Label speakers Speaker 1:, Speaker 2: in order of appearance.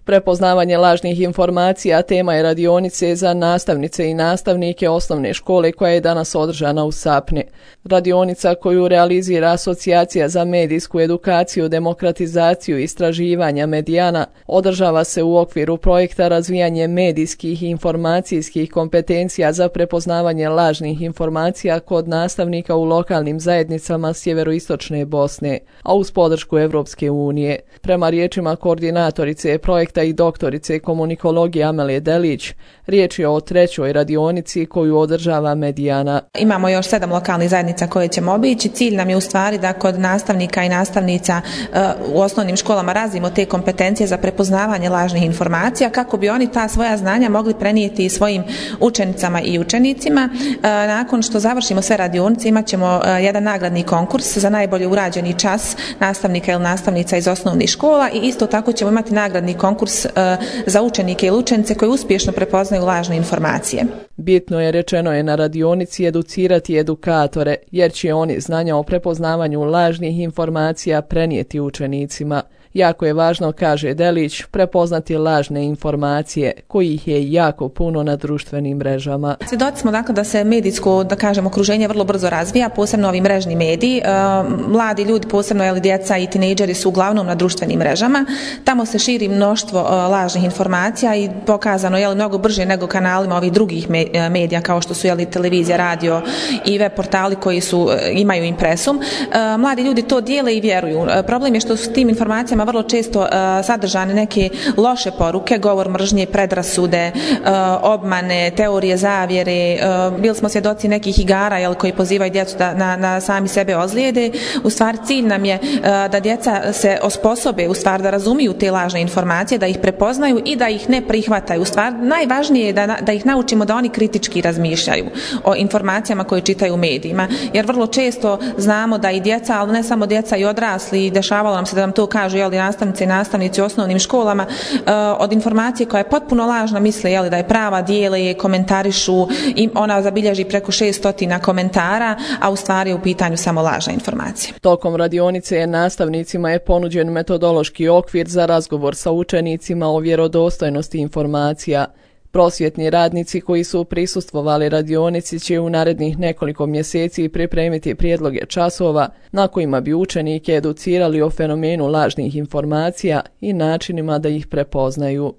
Speaker 1: Prepoznavanje lažnih informacija tema je radionice za nastavnice i nastavnike osnovne škole koja je danas održana u Sapni. Radionica koju realizira Asocijacija za medijsku edukaciju, demokratizaciju i istraživanja Medijana održava se u okviru projekta razvijanje medijskih i informacijskih kompetencija za prepoznavanje lažnih informacija kod nastavnika u lokalnim zajednicama sjeveroistočne Bosne, a uz podršku Evropske unije. Prema riječima koordinatorice projekta i doktorice komunikologije Amelije Delić, riječ je o trećoj radionici koju održava Medijana.
Speaker 2: Imamo još 7 lokalnih zajednica koje ćemo obići. Cilj nam je u stvari da kod nastavnika i nastavnica u osnovnim školama razvijemo te kompetencije za prepoznavanje lažnih informacija kako bi oni ta svoja znanja mogli prenijeti i svojim učenicama i učenicima. Nakon što završimo sve radionice imat ćemo jedan nagradni konkurs za najbolje urađeni čas nastavnika ili nastavnica iz osnovnih škola i isto tako ćemo imati nagradni konkurs za učenike ili učenice koji uspješno prepoznaju lažne informacije.
Speaker 1: Bitno je, rečeno je na radionici, educirati edukatore, jer će oni znanja o prepoznavanju lažnih informacija prenijeti učenicima. Jako je važno, kaže Delić, prepoznati lažne informacije, kojih je jako puno na društvenim mrežama.
Speaker 2: Svjedoci smo dakle da se medijsko, da kažem, okruženje vrlo brzo razvija, posebno ovi mrežni mediji. Mladi ljudi, posebno djeca i tinejdžeri su uglavnom na društvenim mrežama. Tamo se širi mnoštvo lažnih informacija i pokazano je mnogo brže nego kanalima ovih drugih medija kao što su televizija, radio i web portali koji imaju impresum. Mladi ljudi to dijele i vjeruju. Problem je što su tim informacijama vrlo često sadržane neke loše poruke, govor mržnje, predrasude, obmane, teorije zavjere. Bili smo svjedoci nekih igara koji pozivaju djecu da na sami sebe ozlijede. U stvari cilj nam je da djeca se osposobe, u stvari da razumiju te lažne informacije, da ih prepoznaju i da ih ne prihvataju. U stvari najvažnije je da ih naučimo da oni kritički razmišljaju o informacijama koje čitaju u medijima. Jer vrlo često znamo da i djeca, ali ne samo djeca i odrasli, dešavalo nam se da nam to kažu nastavnice i nastavnici u osnovnim školama, od informacije koja je potpuno lažna misle da je prava, dijele je, komentarišu, ona zabilježi preko 600 komentara, a u stvari je u pitanju samo lažna informacija.
Speaker 1: Tokom radionice nastavnicima je ponuđen metodološki okvir za razgovor sa učenicima o vjerodostojnosti informacija. Prosvjetni radnici koji su prisustvovali radionici će u narednih nekoliko mjeseci pripremiti prijedloge časova na kojima bi učenike educirali o fenomenu lažnih informacija i načinima da ih prepoznaju.